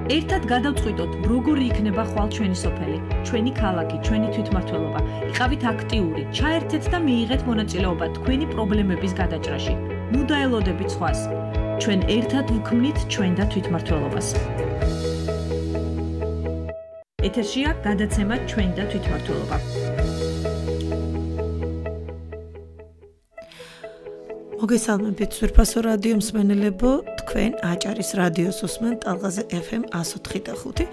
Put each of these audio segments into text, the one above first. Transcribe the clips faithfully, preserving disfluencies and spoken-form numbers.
ერთად გადავწყვიტოთ, როგორი იქნება ხვალ ჩვენი სოფელი, ჩვენი ქალაქი, ჩვენი თვითმმართველობა. იყავით აქტიური, ჩაერთეთ და მიიღეთ მონაწილეობა თქვენი პრობლემების გადაჭრაში. ნუ დაელოდებით სხვას. ჩვენ ერთად ვქმნით ჩვენ და თვითმმართველობას. ეთერშია გადაცემა ჩვენ და თვითმმართველობა. მოგესალმებით სვირფასო რადიო მსმენელებო, თქვენ აჭარის რადიოს უსმენთ ტალღაზე ეფ ემ one oh five point five.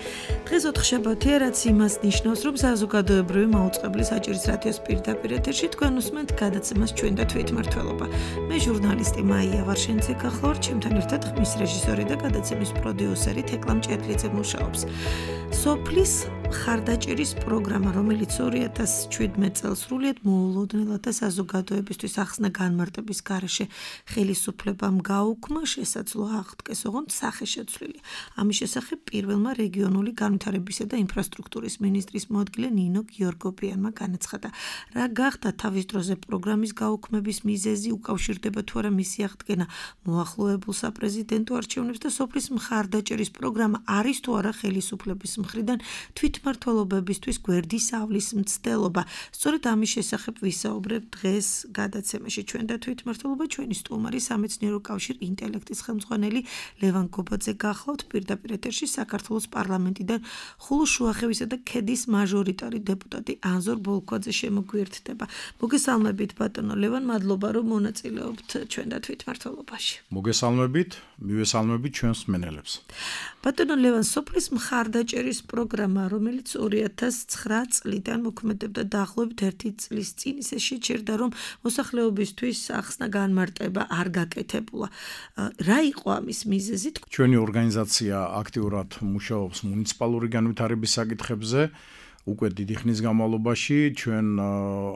დღეს ოთხშაბათია, რაც იმას ნიშნავს, რომ საზოგადოებრივი მაუწყებლის აჭარის რადიოს პირდაპირ ეთერში თქვენ უსმენთ გადაცემას ჩვენ და თვითმმართველობა. მე ჟურნალისტი მაია ვარშენცე გახლავართ, ჩემთან ერთად ხმის რეჟისორი და გადაცემის პროდიუსერი თეკლა მჭედლიძე მუშაობს. სოფლის მხარდაჭერის პროგრამა, რომელიც ორი ათას შვიდმეტ წელს სრულიად მოულოდნელად და საზოგადოებისთვის ახსნა განმარტების გარეშე ხელისუფლებამ გაუქმა, შესაძლოა აღდგეს ოღონდ სახეშეცვლილი. ამის შესახებ პირველმა რეგიონული განვითარებისა და ინფრასტრუქტურის მინისტრის მოადგილე ნინო გიორგობიანმა განაცხადა. რა გახდა თავის დროზე პროგრამის გაუქმების მიზეზი, უკავშირდება თუ არა მისი აღდგენა მოახლოებულ საპრეზიდენტო არჩევნებს და სოფლის მხარდაჭერის პროგრამა არის თუ არა ხელისუფლების მხრიდან თვითმმართველობებისთვის გვერდის ავლის მცდელობა. სწორედ ამის შესახებ ვისაუბრებთ დღეს გადაცემაში ჩვენ და თვითმმართველობა. ჩვენი სტუმარი სამეცნიერო კავშირ ინტელექტის ხელმძღვანელი ლევან გობაძე გახლავთ პირდაპირ ეთერში საქართველოს პარლამენტიდან ხულუშუახევისა და ქედის მაჟორიტარი დეპუტატი ანზორ ბოლქვაძე შემოგვიერთდება. მოგესალმებით ბატონო ლევან, მადლობა რომ მონაწილეობთ ჩვენ და თვითმმართველობაში. მოგესალმებით, მივესალმებით ჩვენს მსმენელებს. ბატონო ლევან, სოფლის მხარდაჭერის პროგრამა, რომელიც ორი ათას ცხრა წლიდან მოქმედებდა დაახლოებით ერთი წლის წინ, ისე შეჩერდა, რომ მოსახლეობისთვის ახსნა განმარტება არ გაკეთებულა. რა იყო ამის მიზეზი? ჩვენი ორგანიზაცია აქტიურად მუშაობს მუნიციპალური განვითარების საკითხებზე. უკვე დიდი ხნის განმავლობაში ჩვენ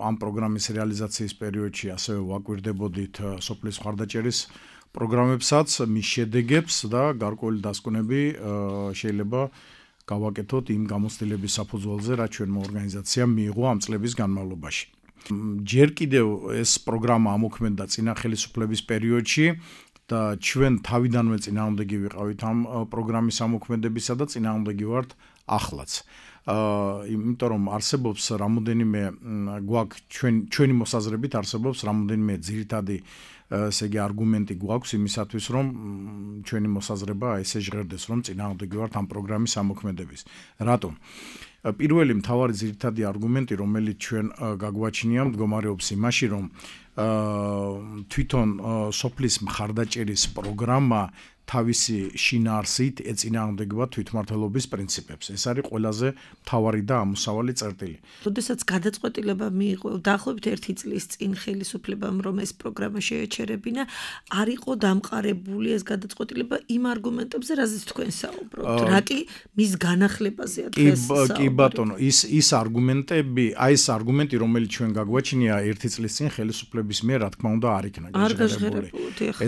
ამ პროგრამის რეალიზაციის პერიოდში ასევე ვაკვირდებოდით სოფლის მხარდაჭერის პროგრამებსაც, მის შედეგებს და გარკვეული დასკვნები შეიძლება გავაკეთოთ იმ გამოცდილების საფუძველზე, რაც ჩვენმა ორგანიზაციამ მიიღო ამ წლების განმავლობაში. ჯერ კიდევ ეს პროგრამა ამოქმედდა წინა ხელისუფლების პერიოდში და ჩვენ თავიდანვე წინააღმდეგი ვიყავით ამ პროგრამის ამოქმედებისა და წინააღმდეგი ვართ ახლაც. იმიტომ რომ არსებობს რამოდენიმე გვაქვს ჩვენ ჩვენი მოსაზრებით არსებობს რამოდენიმე ძირითადი ესე იგი არგუმენტი გვაქვს იმისათვის რომ ჩვენი მოსაზრება ესე ჟღერდეს რომ წინააღმდეგი ვართ ამ პროგრამის ამოქმედების. რატომ? პირველი მთავარი ძირითადი არგუმენტი, რომელიც ჩვენ გაგვაჩნია, მდგომარეობს იმაში, რომ თვითონ სოფლის მხარდაჭერის პროგრამა თავისი შინაარსით ეწინააღმდეგება თვითმმართველობის პრინციპებს. ეს არის ყველაზე მთავარი და ამოსავალი წერტილი. როდესაც გადაწყვეტილება მიიღო დაახლოებით ერთი წლის წინ ხელისუფლებამ, რომ ეს პროგრამა შეეჩერებინა, არ იყო დამყარებული ეს გადაწყვეტილება იმ არგუმენტებზე, რაზეც თქვენ საუბრობთ. რა კი მის განახლებაზეა დღეს საუბარი. კი ბატონო, ის ის არგუმენტები, აი ეს არგუმენტი, რომელიც ჩვენ გაგვაჩნია ერთი წლის წინ ხელისუფლების მიერ, რა თქმა უნდა, არ იქნა გაჟღერებული.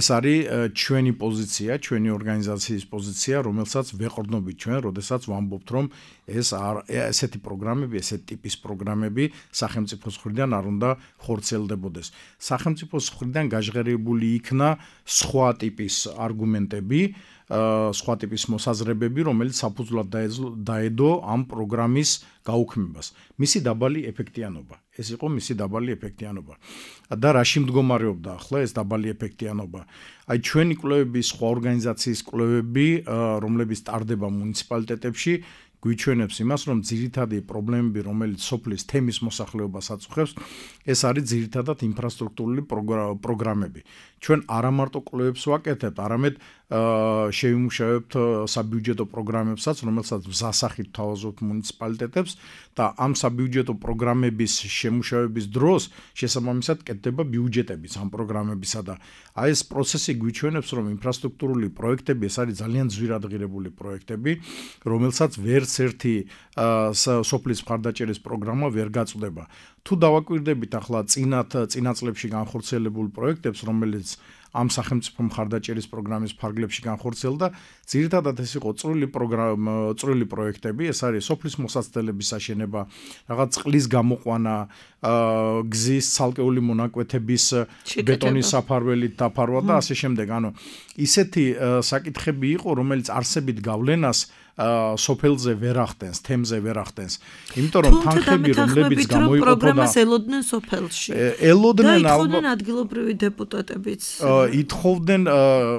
ეს არის ჩვენი პოზიცია, ჩვენი ორგანიზაციის პოზიცია, რომელსაც ვეყრდნობით ჩვენ, როდესაც ვამბობთ, რომ ეს ესეთი პროგრამები, ესეთი ტიპის პროგრამები სახელმწიფოს მხრიდან არ უნდა ხორციელდებოდეს. სახელმწიფოს მხრიდან გაჟღერებული იქნა სხვა ტიპის არგუმენტები, სხვა ტიპის მოსაზრებები, რომელიც საფუძვლად დაედო ამ პროგრამის გაუქმებას. მისი დაბალი ეფექტიანობა. ეს იყო მისი დაბალი ეფექტიანობა. და რაში მდგომარეობდა ახლა ეს დაბალი ეფექტიანობა? აი ჩვენი კვლევები, სხვა ორგანიზაციის კვლევები, რომლებიც ტარდება მუნიციპალიტეტებში, გვიჩვენებს იმას, რომ ძირითადი პრობლემები, რომელიც სოფლის თემის მოსახლეობას აწუხებს, ეს არის ძირითადად ინფრასტრუქტურული პროგრამები. ჩვენ არა მარტო კვლევებს ვაკეთებთ, არამედ შევიმუშავებთ საბიუჯეტო პროგრამებსაც, რომელსაც მზასახით თავაზობთ მუნიციპალიტეტებს და ამ საბიუჯეტო პროგრამების შემუშავების დროს შესაბამისად კეთდება ბიუჯეტებიც ამ პროგრამებისა და აი ეს პროცესი გვიჩვენებს, რომ ინფრასტრუქტურული პროექტები ეს არის ძალიან ძვირადღირებული პროექტები, რომელსაც ვერც ერთი სოფლის მხარდაჭერის პროგრამა ვერ გაწვდება. თუ დავაკვირდებით ახლა წინათ წინა წლებში განხორციელებულ პროექტებს, რომელიც ამ სახელმწიფო მხარდაჭერის პროგრამის ფარგლებში განხორციელდა, ძირითადად ეს იყო წვრილი პროგრამა, წვრილი პროექტები, ეს არის სოფლის მოსაცდელების აშენება, რაღაც წყლის გამოყვანა, გზის ცალკეული მონაკვეთების ბეტონის საფარველით დაფარვა და ასე შემდეგ. ანუ ისეთი საკითხები იყო, რომელიც არსებით გავლენას სოფელზე ვერ ახდენს, თემზე ვერ ახდენს. იმიტომ რომ თანხები, რომლებიც გამოიყოფოდა პროგრამას ელოდნენ სოფელში. ელოდნენ ალბათ ადგილობრივი დეპუტატებიც. ითხოვდნენ,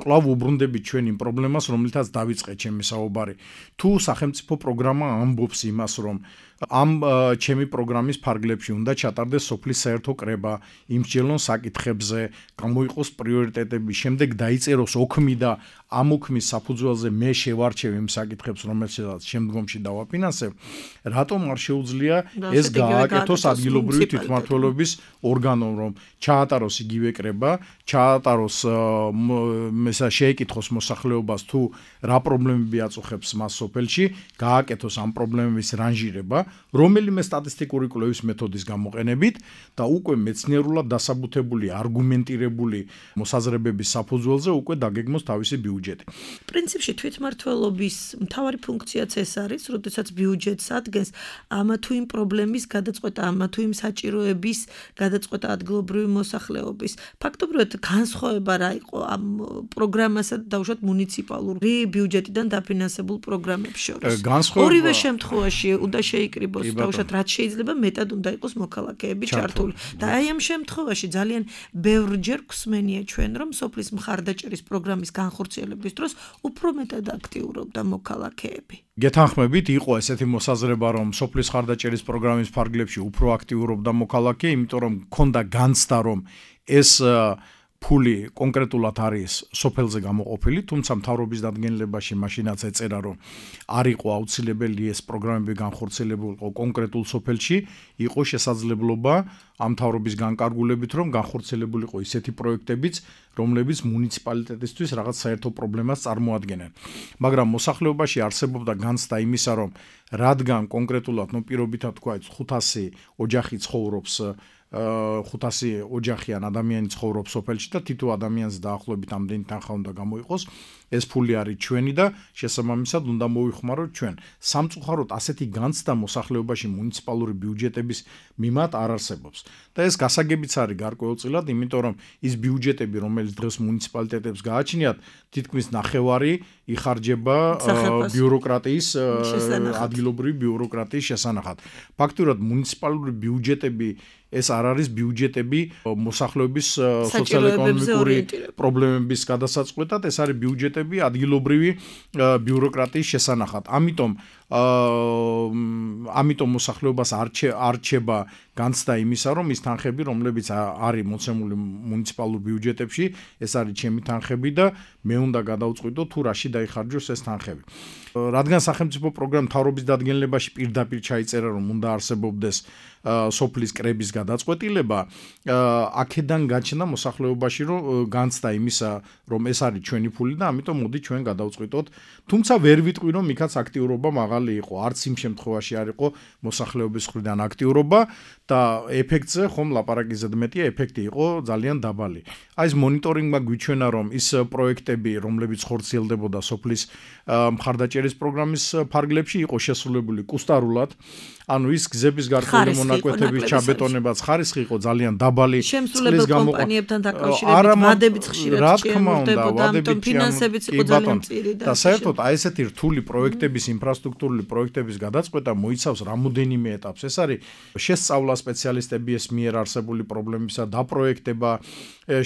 კვლავ უბრუნდებით ჩვენ იმ პრობლემას, რომელთაც დავიწყე ჩემი საუბარი. თუ სახელმწიფო პროგრამა ამბობს იმას, რომ ამ ჩემი პროგრამის ფარგლებში უნდა ჩატარდეს სოფლის საერთო კრება, იმსჯელონ საკითხებზე, გამოიყოს პრიორიტეტები, შემდეგ დაიწეროს ოქმი და ამ ოქმის საფუძველზე მე შევარჩევ იმ საკითხებს, რომელსაც შემდგომში დავაფინანსებ, რატომ არ შეუძლია ეს გააკეთოს ადგილობრივი თვითმმართველობის ორგანომ, რომ ჩაატაროს იგივე კრება, ჩაატაროს ესა შეეკითხოს მოსახლეობას თუ რა პრობლემები აწუხებს მას სოფელში, გააკეთოს ამ პრობლემების რანჟირება, რომელიმე სტატისტიკური კვლევის მეთოდის გამოყენებით და უკვე მეცნიერულად დასაბუთებული, არგუმენტირებული მოსაზრებების საფუძველზე უკვე დაგეგმოს თავისი ბიუჯეტი. პრინციპში თვითმმართველობის მთავარი ფუნქციაც ეს არის, როდესაც ბიუჯეტს ადგენს ამა თუ იმ პრობლემის გადაწყვეტა, ამა თუ იმ საჭიროების გადაწყვეტა ადგილობრივი მოსახლეობის. ფაქტობრივად განსხვავება რა იყო ამ პროგრამასა და დაუშვათ მუნიციპალური ბიუჯეტიდან დაფინანსებულ პროგრამებს შორის. ორივე შემთხვევაში უნდა შეიკრიბოს დაუშვათ რაც შეიძლება მეტად უნდა იყოს მოქალაქეები ჩართული. და აი ამ შემთხვევაში ძალიან ბევრჯერ გვსმენია ჩვენ, რომ სოფლის მხარდაჭერის პროგრამის განხორციელების დროს უფრო მეტად აქტიურობდა მოქალაქეები. გეთანხმებით, იყო ესეთი მოსაზრება, რომ სოფლის მხარდაჭერის პროგრამის ფარგლებში უფრო აქტიურობდა მოქალაქე, იმიტომ რომ მქონდა განცდა, რომ ეს ფული კონკრეტულად არის სოფელზე გამოყოფილი, თუმცა მთავრობის დადგენილებაში მაშინაც ეწერა, რომ არ იყო აუცილებელი ეს პროგრამები განხორციელებულიყო კონკრეტულ სოფელში, იყო შესაძლებლობა ამ მთავრობის განკარგულებით, რომ განხორციელებულიყო ისეთი პროექტებიც, რომლებიც მუნიციპალიტეტისთვის რაღაც საერთო პრობლემას წარმოადგენენ. მაგრამ მოსახლეობაში არსებობდა განცდა იმისა, რომ რადგან კონკრეტულად, ნუ პირობითად თქვა, ხუთასი ოჯახი ცხოვრობს ხუთასი ოჯახიან ადამიანი ცხოვრობს სოფელში და თითო ადამიანს დაახლოებით ამდენი თანხა უნდა გამოიყოს, ეს ფული არის ჩვენი და შესაბამისად უნდა მოвихმაროთ ჩვენ. სამწუხაროდ ასეთი განცდა მოსახლეობაში მუნიციპალური ბიუჯეტების მიმართ არ არსებობს. და ეს გასაგებიც არის გარკვეულწილად, იმიტომ რომ ის ბიუჯეტები, რომელიც დღეს მუნიციპალიტეტებს გააჩნიათ, თითქმის ნახევარი იხარჯება ბიუროკრატიის ადგილობრივი ბიუროკრატიის შესანახად. ფაქტურად მუნიციპალური ბიუჯეტები ეს არ არის ბიუჯეტები მოსახლეობის სოციალურ-ეკონომიკური პრობლემების გადასაწყვეტად, ეს არის ბიუჯეტები ადგილობრივი ბიუროკრატიის შესანახად. ამიტომ ამიტომ მოსახლეობას არ რჩება განცდა იმისა, რომ ის თანხები, რომლებიც არის მოცემული მუნიციპალურ ბიუჯეტებში, ეს არის ჩემი თანხები და მე უნდა გადავწყვიტო თუ რაში დაიხარჯოს ეს თანხები. რადგან სახელმწიფო პროგრამა მთავრობის დადგენილებაში პირდაპირ ჩაიწერა, რომ უნდა არსებობდეს სოფლის კრების გადაწყვეტილება, აქედან გაჩნდა მოსახლეობაში, რომ განცდა იმისა, რომ ეს არის ჩვენი ფული და ამიტომ მოდი ჩვენ გადავწყვიტოთ. თუმცა ვერ ვიტყვი, რომ იქაც აქტიურობა მაღალი იყო, არც იმ შემთხვევაში არ იყო მოსახლეობის მხრიდან აქტიურობა და ეფექტზე ხომ ლაპარაკი ზედმეტია, ეფექტი იყო ძალიან დაბალი. აი ეს მონიტორინგმა გვიჩვენა, რომ ის პროექტები, რომლებიც ხორციელდებოდა სოფლის მხარდაჭერის პროგრამის ფარგლებში, იყო შესრულებული კუსტარულად. ანუ ის გზების გარკვეული მონაკვეთების ჩაბეტონებაც ხარისხი იყო ძალიან დაბალი. შემსრულებელ კომპანიებთან დაკავშირებით ვადებიც ხშირად შეემორდებოდა, ამიტომ ფინანსებიც იყო ძალიან მწირი და საერთოდ აი ესეთი რთული პროექტების, ინფრასტრუქტურული პროექტების გადაწყვეტა მოიცავს რამოდენიმე ეტაპს. ეს არის შესწავლა სპეციალისტების მიერ არსებული პრობლემისა დაპროექტება,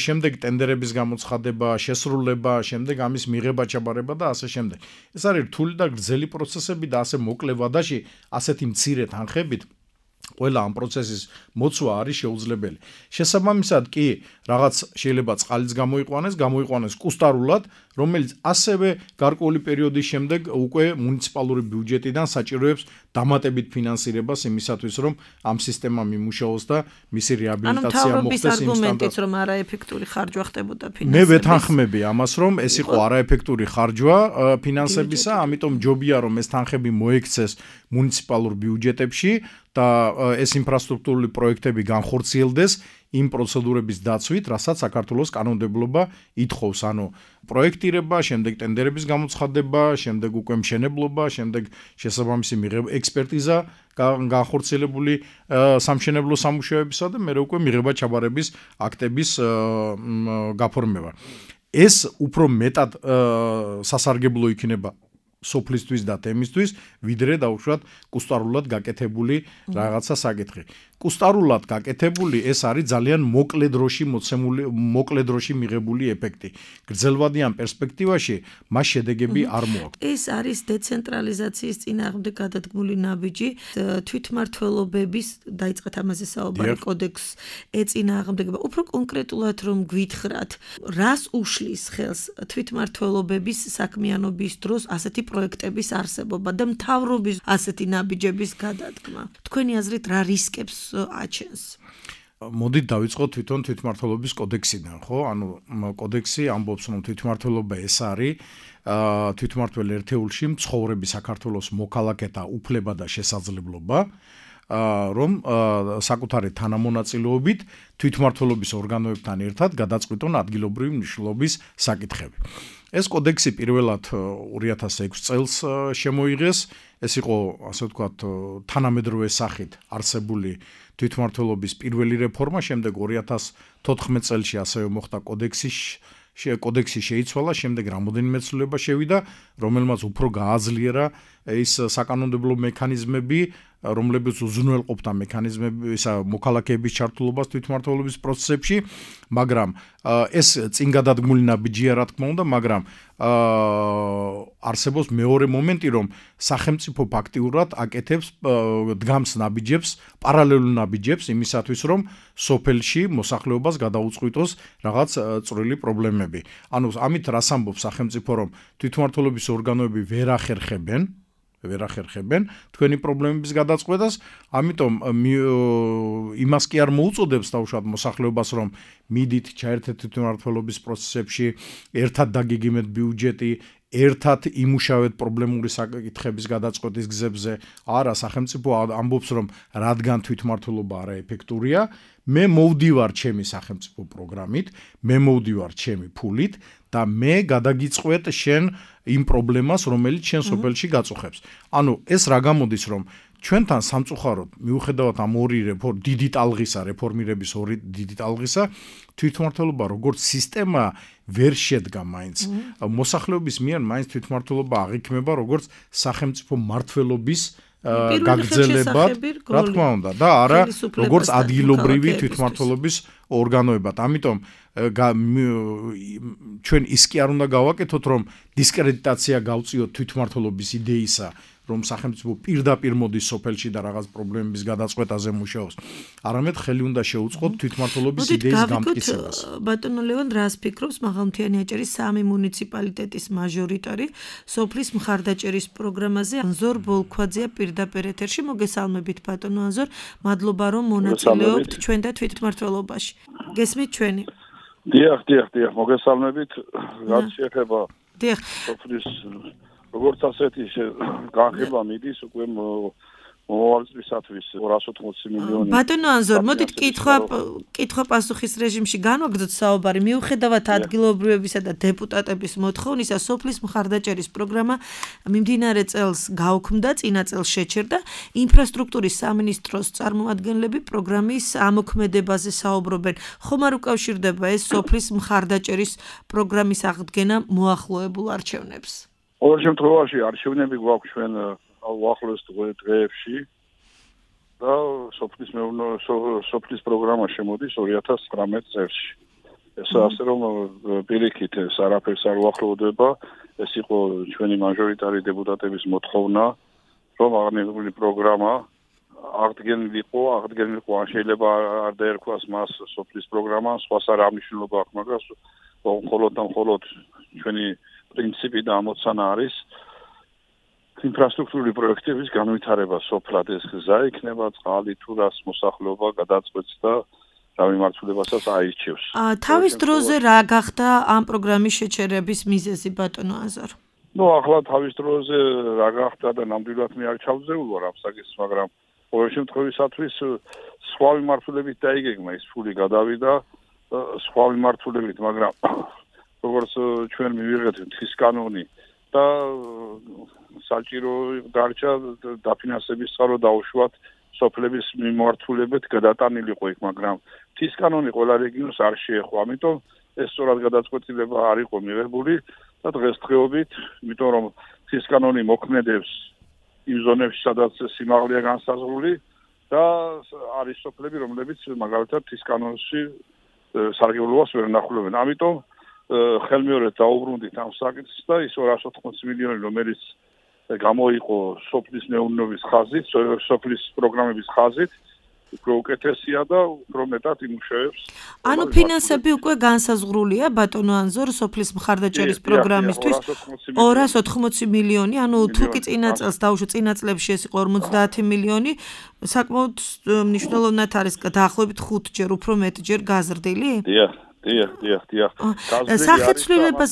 შემდეგ ტენდერების გამოცხადება, შესრულება, შემდეგ ამის მიღება, ჩაბარება და ასე შემდეგ. ეს არის რთული და გრძელი პროცესები და ასე მოკლე ვადაში ასეთი მცირე თანხებით ყველა ამ პროცესის მოცვა არის შეუძლებელი. შესაბამისად კი რაღაც შეიძლება წყალიც გამოიყვანეს, გამოიყვანეს კუსტარულად, რომელიც ასევე გარკვეული პერიოდის შემდეგ უკვე მუნიციპალური ბიუჯეტიდან საჭიროებს დამატებით ფინანსირებას იმისათვის, რომ ამ სისტემამ იმუშაოს და მისი რეაბილიტაცია მოხდეს იმ სტანდარტით, რომ არაეფექტური ხარჯვა ხდებოდა ფინანსების. მე ვეთანხმები ამას, რომ ეს იყო არაეფექტური ხარჯვა ფინანსებისა, ამიტომ ჯობია რომ ეს თანხები მოექცეს მუნიციპალურ ბიუჯეტებში და ეს ინფრასტრუქტურული პროექტები განხორციელდეს იმ პროცედურების დაცვით, რასაც საქართველოს კანონმდებლობა ითხოვს, ანუ პროექტირება, შემდეგ ტენდერების გამოცხადება, შემდეგ უკვე მშენებლობა, შემდეგ შესაბამისი მიღება ექსპერტიზა განხორციელებული სამშენებლო სამუშაოებისა და მერე უკვე მიღება ჩაბარების აქტების გაფორმება. ეს უფრო მეტად სასარგებლო იქნება სოფლისთვის და თემისთვის, ვიდრე დაუშვათ კუსტარულად გაკეთებული რაღაცა საკითხი. კუსტარულად გაკეთებული ეს არის ძალიან მოკლე დროში მოცემული, მოკლე დროში მიღებული ეფექტი. გრძელვადიან პერსპექტივაში მას შედეგები არ მოაქვს. ეს არის დეცენტრალიზაციის წინააღმდეგ გადადგმული ნაბიჯი, თვითმმართველობების დაიწყეთ ამაზე საუბარი კოდექს ეწინააღმდეგება. უფრო კონკრეტულად რომ გვითხრათ, რას უშლის ხელს თვითმმართველობების საქმიანობის დროს ასეთი პროექტების არსებობა და მთავრობის ასეთი ნაბიჯების გადადგმა. თქვენი აზრით რა რისკებს აჩენს? მოდით დავიწყოთ თვითონ თვითმმართველობის კოდექსიდან, ხო? ანუ კოდექსი ამბობს, რომ თვითმმართველობა ეს არის თვითმმართველ ერთეულში მცხოვრები საქართველოს მოქალაქეთა უფლება და შესაძლებლობა, რომ საკუთარი თანამონაწილეობით თვითმმართველობის ორგანოებთან ერთად გადაწყვიტონ ადგილობრივი მნიშვნელობის საკითხები. ეს კოდექსი პირველად ორი ათას ექვსი წელს შემოიღეს, ეს იყო, ასე ვთქვათ, თანამედროვე სახით არსებული თვითმმართველობის პირველი რეფორმა, შემდეგ ორი ათას თოთხმეტ წელში ასევე მოხდა კოდექსი კოდექსი შეიცვალა, შემდეგ რამოდენიმე ცვლილება შევიდა, რომელმაც უფრო გააძლიერა ის საკანონმდებლო მექანიზმები, რომლებიც უზრუნველყოფდა მექანიზმები ისა მოქალაქეების ჩართულობას თვითმმართველობის პროცესებში, მაგრამ ეს წინ გადადგმული ნაბიჯია რა თქმა უნდა, მაგრამ არსებობს მეორე მომენტი, რომ სახელმწიფო ფაქტიურად აკეთებს დგამს ნაბიჯებს, პარალელურ ნაბიჯებს იმისათვის, რომ სოფელში მოსახლეობას გადაუწყვიტოს რაღაც წვრილი პრობლემები. ანუ ამით რას ამბობს სახელმწიფო, რომ თვითმმართველობის ორგანოები ვერ ახერხებენ ვერ ახერხებენ თქვენი პრობლემების გადაწყვეტას, ამიტომ იმას კი არ მოუწოდებს თავშად მოსახლეობას, რომ მიდით ჩაერთეთ თვითმმართველობის პროცესებში, ერთად დაგიგიმეთ ბიუჯეტი, ერთად იმუშავეთ პრობლემური საკითხების გადაწყვეტის გზებზე. არა, სახელმწიფო ამბობს, რომ რადგან თვითმმართველობა არაეფექტურია, მე მოვდივარ ჩემი სახელმწიფო პროგრამით, მე მოვდივარ ჩემი ფულით და მე გადაგიწყვეტ შენ იმ პრობლემას, რომელიც შენ სოფელში გაწუხებს. ანუ ეს რა გამოდის, რომ ჩვენთან სამწუხაროდ მიუხედავად ამ ორი რეფორმ დიდი ტალღისა რეფორმირების ორი დიდი ტალღისა თვითმმართველობა როგორც სისტემა ვერ შედგა მაინც. მოსახლეობის მიერ მაინც თვითმმართველობა აღიქმება როგორც სახელმწიფო მმართველობის გაგრძელებად, რა თქმა უნდა, და არა როგორც ადგილობრივი თვითმმართველობის ორგანოებად. ამიტომ ჩვენ ის კი არ უნდა გავაკეთოთ, რომ დისკრედიტაცია გავწიოთ თვითმმართველობის იდეისა, რომ სახელმწიფო პირდაპირ მოდის სოფელში და რაღაც პრობლემების გადაწყვეტაზე მუშაობს. არამედ ხელი უნდა შეუწყოთ თვითმმართველობის იდეის გამტკიცებას. ბატონო ლევან, რას ფიქრობს მაღალმთიანი აჭარის სამი მუნიციპალიტეტის მაჟორიტარი სოფლის მხარდაჭერის პროგრამაზე? ანზორ ბოლქვაძეა პირდაპირ ეთერში. მოგესალმებით ბატონო ანზორ, მადლობა რომ მონაწილეობთ ჩვენ და თვითმმართველობაში. გესმით ჩვენი? დიახ, დიახ, დიახ, მოგესალმებით. რაც შეეხება დიახ. სოფლის როგორც ასეთი განხილვა მიდის უკვე მოვალწლისათვის ორას ოცდაოთხ მილიონი. ბატონო ანზორ, მოდით კითხვა კითხვა პასუხის რეჟიმში განვაგრძოთ საუბარი. მიუხედავად ადგილობრივებისა და დეპუტატების მოთხოვნისა, სოფლის მხარდაჭერის პროგრამა მიმდინარე წელს გაუქმდა, წინა წელს შეჩერდა. ინფრასტრუქტურის სამინისტროს წარმომადგენლები პროგრამის ამოქმედებაზე საუბრობენ. ხომ არ უკავშირდება ეს სოფლის მხარდაჭერის პროგრამის აღდგენა მოახლოებულ არჩევნებს? ყოველ შემთხვევაში არჩევნები გვაქვს ჩვენ უახლოეს დღეებში და სოფლის სოფლის პროგრამა შემოდის ორი ათას ცხრამეტ წელს. ეს ასე რომ პირიქით ეს არაფერს არ უახლოვდება, ეს იყო ჩვენი მაჟორიტარი დეპუტატების მოთხოვნა, რომ აღნიშნული პროგრამა აღდგენილიყო, აღდგენილიყო, ან შეიძლება არ დაერქვას მას სოფლის პროგრამა, სხვას არ ამნიშნულობა აქვს, მაგრამ მხოლოდ და მხოლოდ ჩვენი პრინციპი და ამოცანა არის ინფრასტრუქტურული პროექტების განვითარება სოფლად. ეს გზა იქნება, წყალი თუ რას მოსახლეობა გადაწყვეტს და რა მიმართულებასაც აირჩევს. თავის დროზე რა გახდა ამ პროგრამის შეჩერების მიზეზი ბატონო ანზორ? ნუ ახლა თავის დროზე რა გახდა და ნამდვილად მე არ ჩავზეულ ვარ ამ საკითხს, მაგრამ ყოველ შემთხვევისათვის სხვა მიმართულებით დაიგეგმა ის ფული გადავიდა სხვა მიმართულებით, მაგრამ როგორც ჩვენ მივიღეთ თვის კანონი და საჭირო დარჩა დაფინანსების წყარო დაუშვათ სოფლების მიმართულებით გადატანილიყო იქ, მაგრამ თვის კანონი ყველა რეგიონს არ შეეხო, ამიტომ ეს სწორად გადაწყვეტილება არ იყო მიღებული და დღესდღეობით, იმიტომ რომ თვის კანონი მოქმედებს იმ ზონებში, სადაც სიმაღლეა განსაზღვრული და არის სოფლები, რომლებიც მაგალითად თვის კანონში სარგებლობას ვერ ნახულობენ. ამიტომ ხელმეორედ დაუბრუნდით ამ საკითხს და ის ორას ოთხმოცი მილიონი, რომელიც გამოიყო სოფლის მეურნეობის ხაზით, სოფლის პროგრამების ხაზით, უფრო უკეთესია და უფრო მეტად იმუშავებს. ანუ ფინანსები უკვე განსაზღვრულია ბატონო ანზორ სოფლის მხარდაჭერის პროგრამისთვის ორას ოთხმოცი მილიონი, ანუ თუ კი წინა წელს დავუშვათ, წინა წლებში ეს იყო ორმოცდაათი მილიონი, საკმაოდ მნიშვნელოვნად არის დაახლოებით ხუთჯერ უფრო მეტჯერ გაზრდილი? დიახ, დიახ, დიახ, დიახ. სახეცვლილებას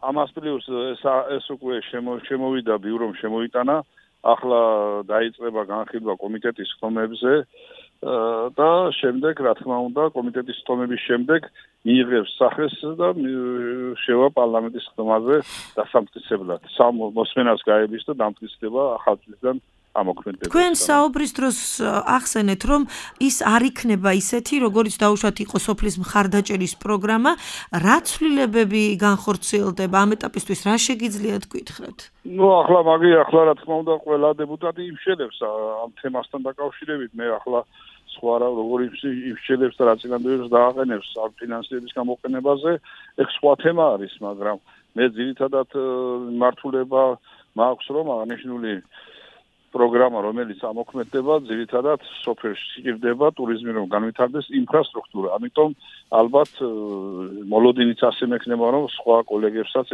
ამას პლუს ეს უკვე შემოვიდა ბიურომ შემოიტანა, ახლა დაიწყება განხილვა კომიტეტის ხმებზე და შემდეგ, რა თქმა უნდა, კომიტეტის ხმების შემდეგ მიიღებს სახეს და შევა პარლამენტის ხმაზე დასამტკიცებლად. სამ მოსმენას გაების და დამტკიცდება ახალწლიდან ამოქმედდება. თქვენ საუბრის დროს ახსენეთ, რომ ის არ იქნება ისეთი, როგორც დაუშვათ იყო სოფლის მხარდაჭერის პროგრამა, რა ცვლილებები განხორციელდება ამ ეტაპისთვის, რა შეგიძლიათ გითხრათ? ნუ ახლა მაგი ახლა რა თქმა უნდა ყველა დეპუტატი იმშელებს ამ თემასთან დაკავშირებით, მე ახლა სხვა რა როგორი იმშელებს და რა წინადადებას დააყენებს ამ ფინანსების გამოყენებაზე, ეს სხვა თემა არის, მაგრამ მე ძირითადად მართულება მაქვს, რომ აღნიშნული პროგრამა, რომელიც ამოქმედდება, ძირითადად სოფელში სჭირდება ტურიზმი, რომ განვითარდეს ინფრასტრუქტურა. ამიტომ ალბათ მოლოდინიც ასე მექნება, რომ სხვა კოლეგებსაც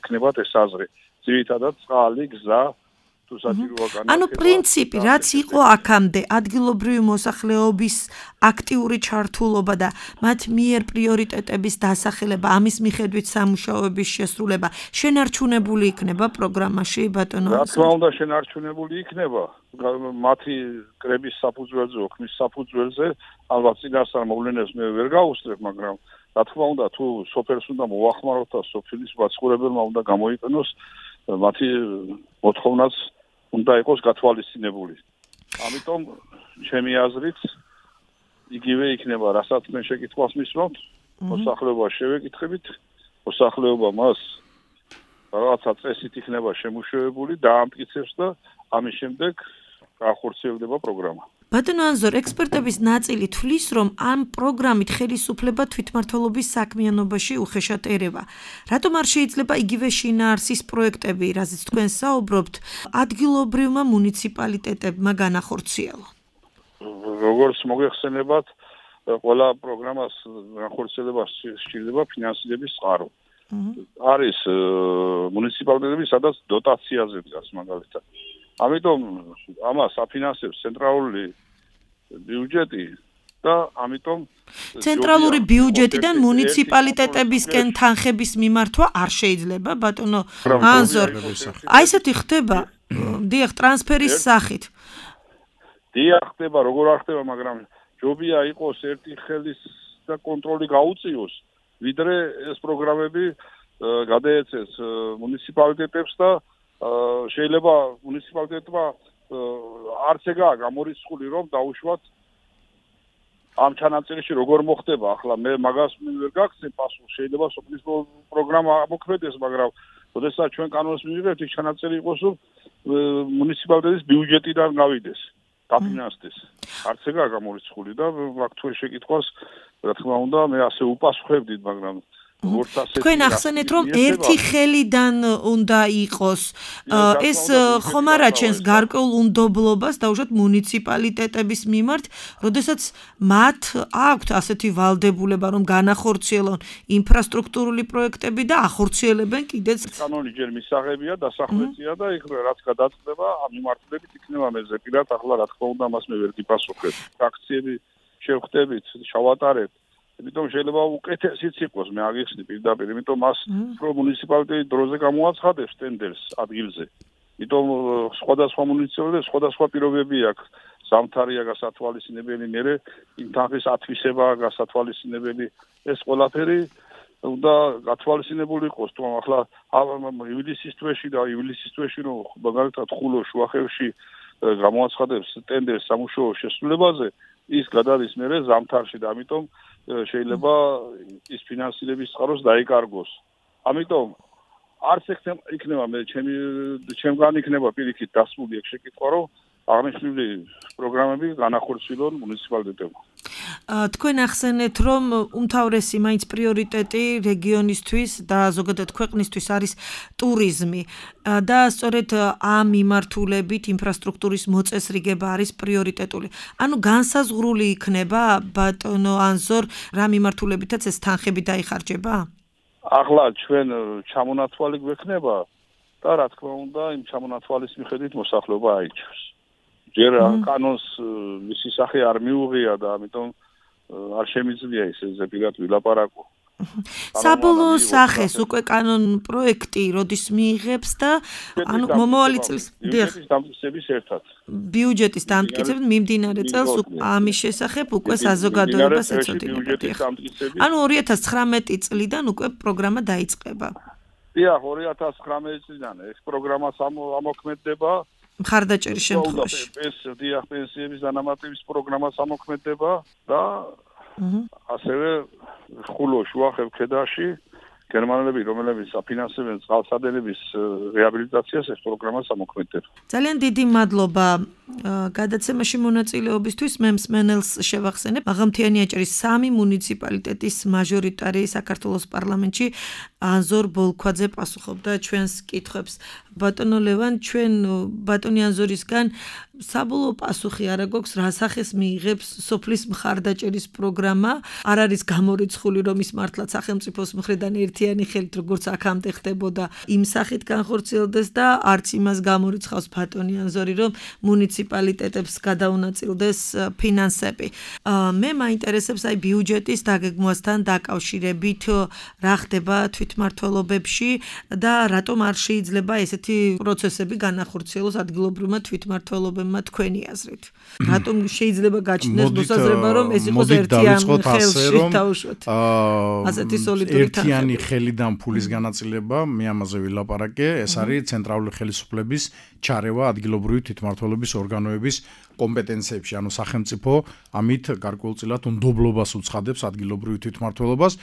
ექნებათ ეს აზრი. ძირითადად წყალი, გზა, თუ საჭიროა განათლება. ანუ პრინციპი, რაც იყო აქამდე, ადგილობრივი მოსახლეობის აქტიური ჩართულობა და მათ მიერ პრიორიტეტების დასახელება, ამის მიხედვით სამუშაოების შესრულება, შენარჩუნებული იქნება პროგრამაში, ბატონო? რა თქმა უნდა, შენარჩუნებული იქნება. მათი კრების საფუძველზე, ოქმის საფუძველზე, ალბათ წინასწარ მოვლენებს მე ვერ გავუსწრებ, მაგრამ რა თქმა უნდა, თუ სოფელს უნდა მოახმაროთ და სოფლის მაცხოვრებელმა უნდა გამოიყენოს, მათი მოთხოვნაც უნდა იყოს გათვალისწინებული. ამიტომ ჩემი აზრით იგივე იქნება, რასაც მე შეკითხვას მისვამთ, მოსახლეობა შევეკითხებით, მოსახლეობა მას რაღაცა წესით იქნება შემუშავებული, დაამტკიცებს და ამის შემდეგ განხორციელდება პროგრამა. ბატონო ანზორ, ექსპერტების ნაწილი თვლის, რომ ამ პროგრამით ხელისუფლება თვითმმართველობის საქმიანობაში უხეშად ერევა. რატომ არ შეიძლება იგივე შინაარსის პროექტები, რაზეც თქვენ საუბრობთ, ადგილობრივმა მუნიციპალიტეტებმა განახორციელონ? როგორც მოგეხსენებათ, ყველა პროგრამას განხორციელებას სჭირდება ფინანსირების წყარო. არის მუნიციპალიტეტები, სადაც დოტაციაზე დგას მაგალითად. ამიტომ ამას აფინანსებს ცენტრალური ბიუჯეტი და ამიტომ ცენტრალური ბიუჯეტიდან მუნიციპალიტეტებისკენ თანხების მიმართვა არ შეიძლება, ბატონო ანზორ. აი ესეთი ხდება, დიახ, ტრანსფერის სახით. დიახ, ხდება, როგორ არ ხდება, მაგრამ ჯობია იყოს ერთი ხელის და კონტროლი გაუწიოს, ვიდრე ეს პროგრამები გადაეცეს მუნიციპალიტეტებს და შეიძლება მუნიციპალიტეტმა არც ეგაა გამორიცხული, რომ დაუშვათ ამ ჩანაწერში როგორ მოხდება. ახლა მე მაგას ვერ გაგცემ პასუხს, შეიძლება სოფლის პროგრამა მოქმედეს, მაგრამ როდესაც ჩვენ კანონს მივიღებთ, ის ჩანაწერი იყოს, რომ მუნიციპალიტეტის ბიუჯეტიდან გავიდეს, დაფინანსდეს. არც ეგაა გამორიცხული და აქ თუ შეკითხვას, რა თქმა უნდა, მე ასე უპასუხებდით, მაგრამ თქვენ ახსენეთ, რომ ერთი ხელიდან უნდა იყოს ეს ხომ არ აჩენს გარკვეულ უნდობლობას დაუშვათ მუნიციპალიტეტების მიმართ, როდესაც მათ აქვთ ასეთი ვალდებულება, რომ განახორციელონ ინფრასტრუქტურული პროექტები და ახორციელებენ კიდეც. კანონი ჯერ მისაღებია, დასახვეწია და იქ რაც გადაწყდება, ამ მიმართულებით იქნება მეზე პირად, ახლა რა თქმა უნდა, მას მე ვერ გიპასუხებ. აქციები შევხვდებით, შავატარებთ. იმიტომ შეიძლება უკეთესიც იყოს, მე აგიხსნი პირდაპირ, იმიტომ მას უფრო მუნიციპალიტეტი დროზე გამოაცხადებს ტენდერს ადგილზე. იმიტომ სხვადასხვა მუნიციპალიტეტს სხვადასხვა პირობები აქვს ზამთარია გასათვალისწინებელი, მერე იმ თანხის ათვისებაა გასათვალისწინებელი. ეს ყველაფერი უნდა გათვალისწინებული იყოს, თუმცა ახლა ივლისის თვეში და ივლისის თვეში რომ მაგალითად ხულო შუახევში გამოაცხადებს ტენდერს სამუშაო შესრულებაზე, ის გადადის მერე ზამთარში და ამიტომ შეიძლება ის ფინანსირების წყაროს დაიკარგოს. ამიტომ არც იქნება მე ჩემი ჩემგან იქნება პირიქით დასმული ეგ შეკითხვა, რომ აღნიშნული პროგრამები განახორციელონ მუნიციპალიტეტებმა. თქვენ ახსენეთ, რომ უმთავრესი მაინც პრიორიტეტი რეგიონისთვის და ზოგადად ქვეყნისთვის არის ტურიზმი და სწორედ ამ მიმართულებით ინფრასტრუქტურის მოწესრიგება არის პრიორიტეტული. ანუ განსაზღვრული იქნება ბატონო ანზორ რა მიმართულებითაც ეს თანხები დაიხარჯება? ახლა ჩვენ ჩამონათვალი გვექნება და რა თქმა უნდა იმ ჩამონათვალის მიხედვით მოსახლეობა აიჩევს. ჯერ კანონს მისი სახე არ მიუღია და ამიტომ არ შემიძლია ისე პირად ვილაპარაკო. საბოლოო სახეს უკვე კანონ პროექტი როდის მიიღებს და ანუ მომავალი წლის ბიუჯეტის დამტკიცების ერთად. ბიუჯეტის დამტკიცებით მიმდინარე წელს ამის შესახებ უკვე საზოგადოებას ეცოდინებათ. ანუ ორი ათას ცხრამეტი წლიდან უკვე პროგრამა დაიწყება. დიახ, ორი ათას ცხრამეტი წლიდან ეს პროგრამა ამოქმედდება. მხარდაჭერის შემთხვევაში. ეს დიახ, პენსიების დანამატების პროგრამა ამოქმედდება და ასევე ხულო შუახევ ქედაში გერმანელები, რომლებიც აფინანსებენ წყალსადენების რეაბილიტაციას, ეს პროგრამა ამოქმედდება. ძალიან დიდი მადლობა გადაცემაში მონაწილეობისთვის. მე მსმენელს შევახსენებ, მაღალმთიანი აჭარის სამი მუნიციპალიტეტის მაჟორიტარი საქართველოს პარლამენტში ანზორ ბოლქვაძე პასუხობდა ჩვენს კითხვებს. ბატონო ლევან, ჩვენ ბატონი ანზორისგან საბოლოო პასუხი არა გვაქვს, რა სახეს მიიღებს სოფლის მხარდაჭერის პროგრამა. არ არის გამორიცხული, რომ ის მართლაც სახელმწიფოს მხრიდან ერთიანი ხელით როგორც აქამდე ხდებოდა იმ სახით განხორციელდეს და არც იმას გამორიცხავს ბატონი ანზორი, რომ მუნიციპალიტეტებს გადაუნაწილდეს ფინანსები. მე მაინტერესებს აი ბიუჯეტის დაგეგმვასთან დაკავშირებით რა ხდება თვითმმართველობებში და რატომ არ შეიძლება ესეთი პროცესები განახორციელოს ადგილობრივმა თვითმმართველობებმა თქვენი აზრით. რატომ შეიძლება გაჩნდეს მოსაზრება, რომ ეს იყოს ერთიანი ხელში თავშოთ. ასეთი სოლიდური ერთიანი ხელიდან ფულის განაწილება, მე ამაზე ვილაპარაკე, ეს არის ცენტრალური ხელისუფლების ჩარევა ადგილობრივი თვითმმართველობის ორგანოების კომპეტენციებში, ანუ სახელმწიფო ამით გარკვეულწილად უნდობლობას უცხადებს ადგილობრივი თვითმმართველობას.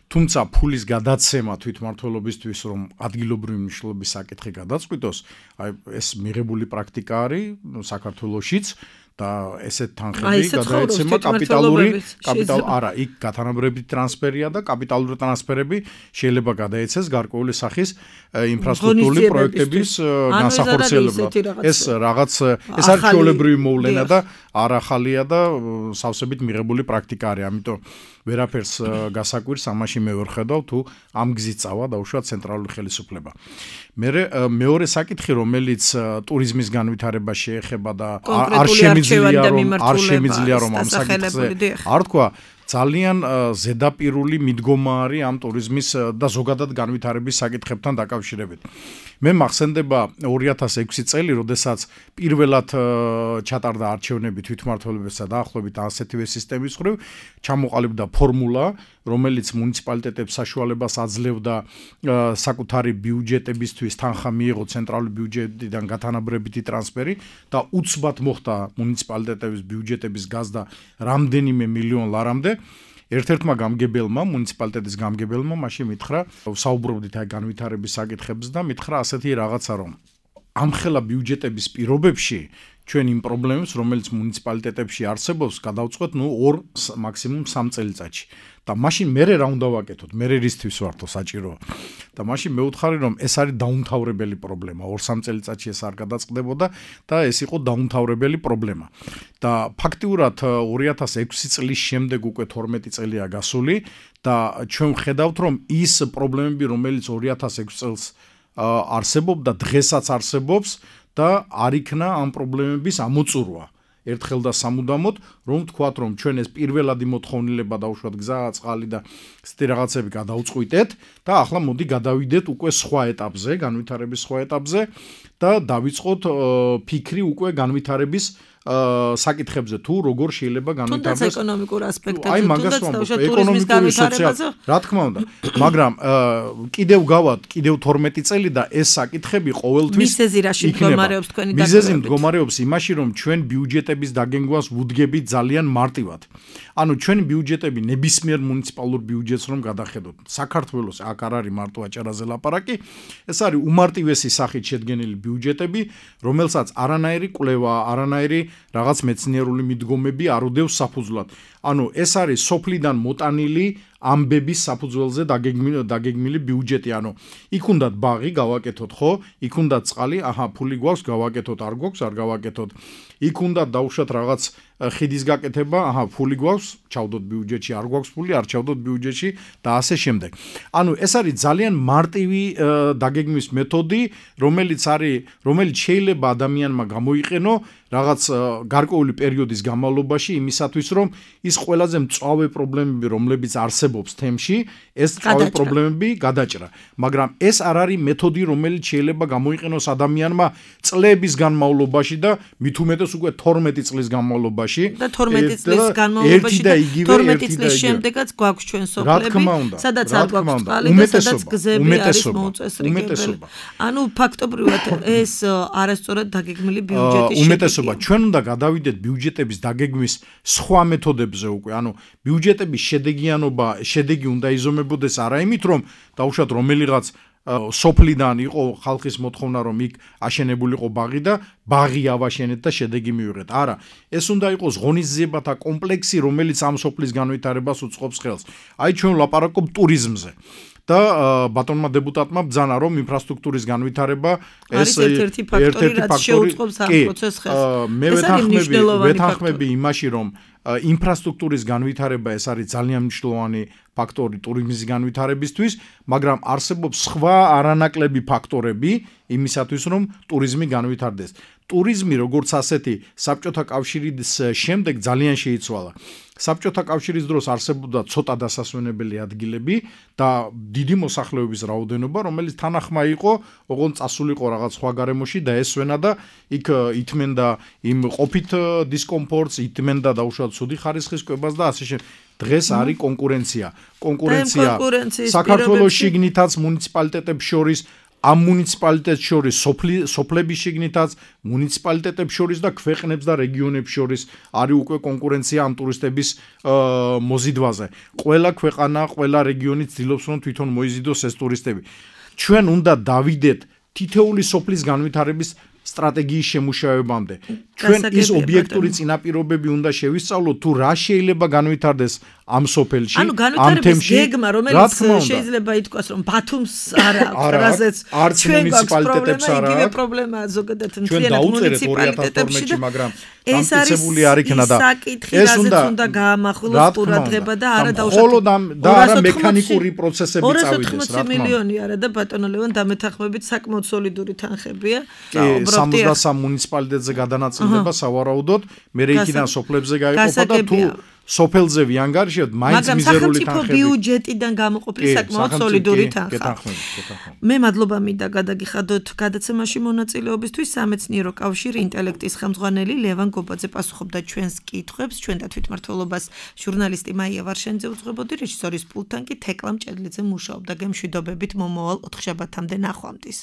თუმცა ფულის გადაცემა თვითმმართველობისთვის, რომ ადგილობრივი მნიშვნელობის საკითხი გადაწყვიტოს, აი ეს მიღებული პრაქტიკა არის საქართველოშიც და ესეთ თანხები გადაეცემა კაპიტალური კაპიტალ არა, იქ გათანაბრებითი ტრანსფერია და კაპიტალური ტრანსფერები შეიძლება გადაეცეს გარკვეული სახის ინფრასტრუქტურული პროექტების განსახორციელებლად. ეს რაღაც ეს არის ჩვეულებრივი მოვლენა და არ ახალია და სავსებით მიღებული პრაქტიკა არის. ამიტომ ვერაფერს გასაკვირს ამაში მე ვერ ხედავ თუ ამ გზით წავა დაუშვათ ცენტრალური ხელისუფლება. მე მეორე საკითხი, რომელიც ტურიზმის განვითარებას შეეხება და არ შემიძლია რომ არ შემიძლია რომ ამ საკითხზე არ თქვა, ძალიან ზედაპირული მიდგომა არის ამ ტურიზმის და ზოგადად განვითარების საკითხებთან დაკავშირებით. მე მახსენდება ორი ათას ექვსი წელი, როდესაც პირველად ჩატარდა არჩევნები თვითმმართველობებსა დაახლოებით ასეთივე სისტემის მხრივ, ჩამოყალიბდა ფორმულა, რომელიც მუნიციპალიტეტებს საშუალებას აძლევდა საკუთარი ბიუჯეტებისთვის თანხა მიიღო ცენტრალური ბიუჯეტიდან გათანაბრებითი ტრანსფერი და უცბად მოხდა მუნიციპალიტეტების ბიუჯეტების გაზრდა რამდენიმე მილიონ ლარამდე. ერთ-ერთმა გამგებელმა, მუნიციპალიტეტის გამგებელმა მაშინ მითხრა, საუბრობდით აი განვითარების საკითხებზე და მითხრა ასეთი რაღაცა, რომ ამხელა ბიუჯეტების პირობებში ჩვენ იმ პრობლემებს, რომელიც მუნიციპალიტეტებში არსებობს, გადავწყვეტ ნუ ორ მაქსიმუმ სამ წელიწადში. და მაშინ მე რა უნდა ვაკეთოთ? მე რისთვის ვართო საჭიროა? და მაშინ მე ვუთხარი, რომ ეს არის დაუმთავრებელი პრობლემა. ორ სამ წელიწადში ეს არ გადაწყდებოდა და ეს იყო დაუმთავრებელი პრობლემა. და ფაქტიურად ორი ათას ექვსი წლის შემდეგ უკვე თორმეტი წელია გასული და ჩვენ ვხედავთ, რომ ის პრობლემები, რომელიც ორი ათას ექვსი წელს არსებობდა, დღესაც არსებობს და არ იქნა ამ პრობლემების ამოწურვა. ერთხელ და სამუდამოდ, რომ ვთქვათ, რომ ჩვენ ეს პირველადი მოთხოვნილება დაუშვათ გზა, წყალი და ესეთი რაღაცები გადაუწყვიტეთ და ახლა მოდი გადავიდეთ უკვე სხვა ეტაპზე, განვითარების სხვა ეტაპზე და დავიწყოთ ფიქრი უკვე განვითარების საკითხებზე თუ როგორ შეიძლება განვითარდეს თუნდაც ეკონომიკურ ასპექტებზე, აი მაგას ვამბობ, ეკონომიკური სოციალური, რა თქმა უნდა, მაგრამ კიდევ გავად, კიდევ თორმეტი წელი და ეს საკითხები ყოველთვის მიზეზი რაში მდგომარეობს თქვენი დაგეგმებით? მიზეზი მდგომარეობს იმაში, რომ ჩვენ ბიუჯეტების დაგეგმვას ვუდგებით ძალიან მარტივად. ანუ ჩვენი ბიუჯეტები ნებისმიერ მუნიციპალურ ბიუჯეტს რომ გადახედოთ, საქართველოს აქ არ არის მარტო აჭარაზე ლაპარაკი, ეს არის უმარტივესი სახით შედგენილი ბიუჯეტები, რომელსაც არანაირი კვლევა, არანაირი რაღაც მეცნიერული მიდგომები არ უდევს საფუძვლად. ანუ ეს არის სოფლიდან მოტანილი ამბების საფუძველზე დაგეგმილი დაგეგმილი ბიუჯეტი, ანუ იქ უნდა ბაღი გავაკეთოთ, ხო? იქ უნდა წყალი, აჰა, ფული გვაქვს, გავაკეთოთ, არ გვაქვს, არ გავაკეთოთ. იქ უნდა დავუშვათ რაღაც ხიდის გაკეთება, აჰა, ფული გვაქვს, ჩავდოთ ბიუჯეტში, არ გვაქვს ფული, არ ჩავდოთ ბიუჯეტში და ასე შემდეგ. ანუ ეს არის ძალიან მარტივი დაგეგმვის მეთოდი, რომელიც არის, რომელიც შეიძლება ადამიანმა გამოიყენო რაღაც გარკვეული პერიოდის განმავლობაში იმისათვის, რომ ის ყველაზე მწვავე პრობლემები, რომლებიც არსებობს თემში, ეს მწვავე პრობლემები გადაჭრა. მაგრამ ეს არ არის მეთოდი, რომელიც შეიძლება გამოიყენოს ადამიანმა წლების განმავლობაში და მით უმეტეს უკვე თორმეტი წლის განმავლობაში. და თორმეტი წლის განმავლობაში და თორმეტი წლის შემდეგაც გვაქვს ჩვენ სოფლები, სადაც არ გვაქვს წყალი და სადაც გზები არის მოუწესრიგებელი. ანუ ფაქტობრივად ეს არასწორად დაგეგმილი ბიუჯეტის უმეტესობა ჩვენ უნდა გადავიდეთ ბიუჯეტების დაგეგმვის სხვა მეთოდებზე უკვე, ანუ ბიუჯეტების შედეგიანობა, შედეგი უნდა იზომებოდეს არა იმით, რომ დავუშვათ რომელიღაც სოფლიდან იყო ხალხის მოთხოვნა, რომ იქ აშენებულიყო ბაღი და ბაღი ავაშენეთ და შედეგი მივიღეთ. არა, ეს უნდა იყოს ღონისძიებათა კომპლექსი, რომელიც ამ სოფლის განვითარებას უწყობს ხელს. აი ჩვენ ვლაპარაკობ ტურიზმზე. და ბატონმა დეპუტატმა ბრძანა, რომ ინფრასტრუქტურის განვითარება ეს ერთ-ერთი ფაქტორი, რაც შეუწყობს ამ პროცესს ხელს. მე ვეთანხმები, ვეთანხმები იმაში, რომ ინფრასტრუქტურის განვითარება ეს არის ძალიან მნიშვნელოვანი ფაქტორი ტურიზმის განვითარებისთვის, მაგრამ არსებობს სხვა არანაკლები ფაქტორები იმისათვის, რომ ტურიზმი განვითარდეს. ტურიზმი როგორც ასეთი საბჭოთა კავშირის შემდეგ ძალიან შეიცვალა. საბჭოთა კავშირის დროს არსებობდა ცოტა დასასვენებელი ადგილები და დიდი მოსახლეობის რაოდენობა, რომელიც თანახმა იყო, ოღონდ წასულიყო რაღაც სხვა გარემოში და ესვენა და იქ ითმენდა იმ ყოფით დისკომფორტს, ითმენდა დაუშვათ ცუდი ხარისხის კვებას და ასე შემდეგ. დღეს არის კონკურენცია. კონკურენცია საქართველოს შიგნითაც მუნიციპალიტეტებს შორის, ამ მუნიციპალიტეტს შორის, სოფლების შიგნითაც, მუნიციპალიტეტებს შორის და ქვეყნებს და რეგიონებს შორის არის უკვე კონკურენცია ამ ტურისტების მოზიდვაზე. ყველა ქვეყანა, ყველა რეგიონი ცდილობს, რომ თვითონ მოიზიდოს ეს ტურისტები. ჩვენ უნდა დავიდეთ თითეული სოფლის განვითარების სტრატეგიის შემუშავებამდე. ჩვენ ის ობიექტური წინაპირობები უნდა შევისწავლოთ, თუ რა შეიძლება განვითარდეს ამ სოფელში, ანუ განვითარების გეგმა, რომელიც შეიძლება ითქვას, რომ ბათუმს არ აქვს, რაზეც ჩვენ მუნიციპალიტეტებს არ აქვს. იგივე პრობლემაა ზოგადად მთლიანად მუნიციპალიტეტებში, მაგრამ ეს არის იქნა და ეს უნდა გაამახვილოს ყურადღება და არა დაუშვათ და არა მექანიკური პროცესები წავიდეს, რა თქმა უნდა. ორასი ოცდაოთხი მილიონი არა და ბატონო ლევან დამეთანხმებით საკმაოდ სოლიდური თანხებია. სამოცდასამ მუნიციპალიტეტზე გადანაწილდება სავარაუდოდ, მე იქიდან სოფლებზე გაიყოფა და თუ სოფელზე ვიანგარიშებთ, მაინც მიზერული თანხები. მაგრამ სახელმწიფო ბიუჯეტიდან გამოყოფილი საკმაოდ სოლიდური თანხა. მე მადლობა მინდა გადაგიხადოთ გადაცემაში მონაწილეობისთვის. სამეცნიერო კავშირი ინტელექტის ხელმძღვანელი ლევან გობაძე პასუხობდა ჩვენს კითხვებს, ჩვენ და თვითმმართველობას ჟურნალისტი მაია ვარშენიძე უძღვებოდი, რეჟისორის პულტთან კი თეკლა მჭედლიძე მუშაობდა. გემშვიდობებით მომავალ ოთხშაბათამდე ნახვამდის.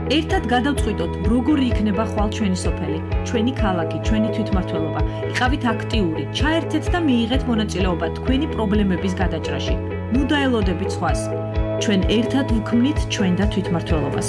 ერთად გადავწყვიტოთ, როგორი იქნება ხვალ ჩვენი სოფელი, ჩვენი ქალაქი, ჩვენი თვითმმართველობა. იყავით აქტიური, ჩაერთეთ და მიიღეთ მონაწილეობა თქვენი პრობლემების გადაჭრაში. ნუ დაელოდებით სხვას. ჩვენ ერთად ვქმნით ჩვენ და თვითმმართველობას.